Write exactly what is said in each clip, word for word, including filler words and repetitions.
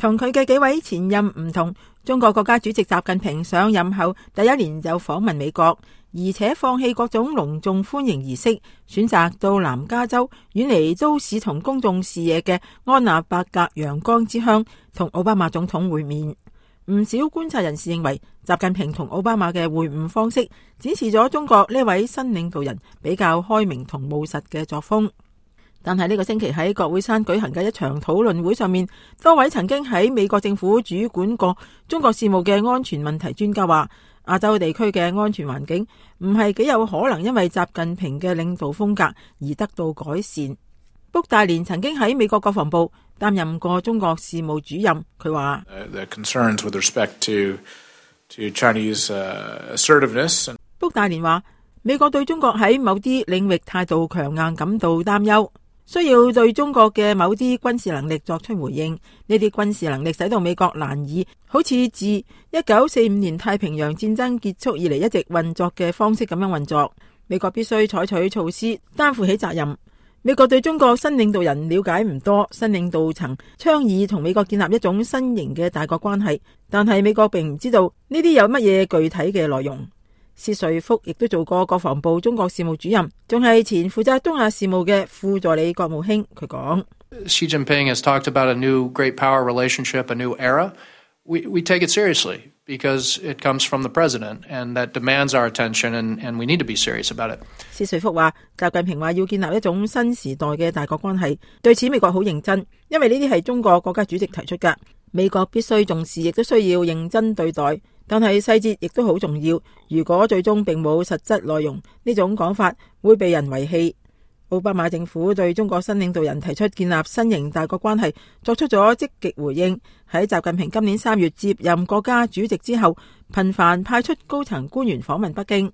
同佢嘅幾位前任唔同，中國國家主席習近平上任後第一年就訪問美國，而且放棄各種隆重歡迎儀式，選擇到南加州遠離都市同公眾視野嘅安納伯格陽光之鄉，同奧巴馬總統會面。唔少觀察人士認為，習近平同奧巴馬嘅會晤方式展示咗中國呢位新領導人比較開明同務實嘅作風。但係呢個星期喺國會山舉行嘅一場討論會上面，多位曾經喺美國政府主管過中國事務嘅安全問題專家話，亞洲地區嘅安全環境唔係幾有可能因為習近平嘅領導風格而得到改善。卜大連曾經喺美國國防部擔任過中國事務主任，佢話卜大連話，美國對中國喺某啲領域態度強硬感到擔憂，需要對中國嘅某啲軍事能力作出回應。呢啲軍事能力使到美國難以好似自一九四五年太平洋戰爭結束以嚟一直運作嘅方式咁樣運作。美國必須採取措施擔負起責任。美國對中國新領導人了解唔多，新領導層倡議同美國建立一種新型嘅大國關係，但係美國並唔知道呢啲有乜嘢具體嘅內容。薛瑞福亦都做過國防部中國事務主任，仲係前負責東亞事務嘅副助理國務卿。佢講，Xi Jinping has talked about a new great power relationship, a new era. We we take it seriously because it comes from the president, and that demands our attention, and and we need to be serious about it. 薛瑞福話，習近平話要建立一種新時代嘅大國關係，對此美國好認真，因為呢啲係中國國家主席提出㗎，美國必須重視，亦都需要認真對待。但係細節亦都好重要，如果最終並冇實質內容，呢種講法會被人遺棄。奧巴馬政府對中國新領導人提出建立新型大國關係作出咗積極回應，喺習近平今年三月接任國家主席之後，頻繁派出高層官員訪問北京。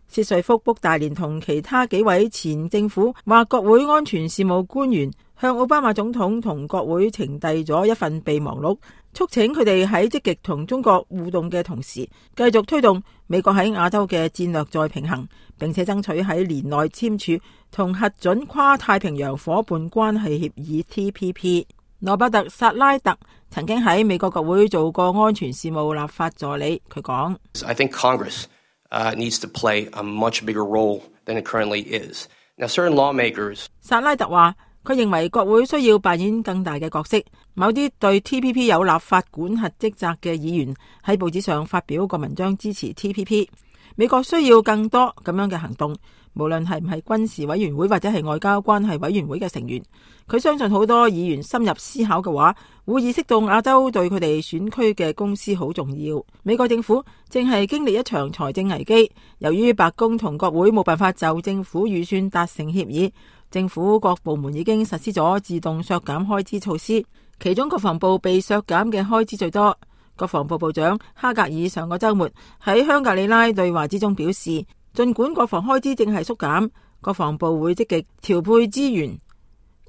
薛瑞福、卜大連同其他幾位前政府或國會安全事務官員向奧巴馬總統同國會呈遞咗一份備忘錄，促請佢哋喺積極同中國互動嘅同時，繼續推動美國喺亞洲嘅戰略再平衡，並且爭取喺年內簽署同核准跨太平洋夥伴關係協議 T P P。羅伯特·薩拉特曾經喺美國國會做過安全事務立法助理，佢講 I think Congress Uh, needs to play a much bigger role than it currently is. Now, certain lawmakers. 薩拉特話，佢認為國會需要扮演更大嘅角色。某啲對 T P P 有立法管轄職責嘅議員喺報紙上發表過文章支持 T P P。美國需要更多咁樣嘅行動，無論係唔係軍事委員會或者係外交關係委員會嘅成員。佢相信好多議員深入思考嘅話，會意識到亞洲對佢哋選區嘅公司好重要。美國政府正係經歷一場財政危機，由於白宮同國會冇辦法就政府預算達成協議，政府各部門已經實施咗自動削減開支措施，其中國防部被削減嘅開支最多。國防部部長哈格爾上個週末喺香格里拉對話之中表示，儘管國防開支正係縮減，國防部會積極調配資源，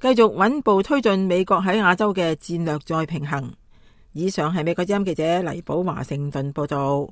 繼續穩步推進美國喺亞洲嘅戰略再平衡。以上係美國之音記者黎寶華盛頓報道。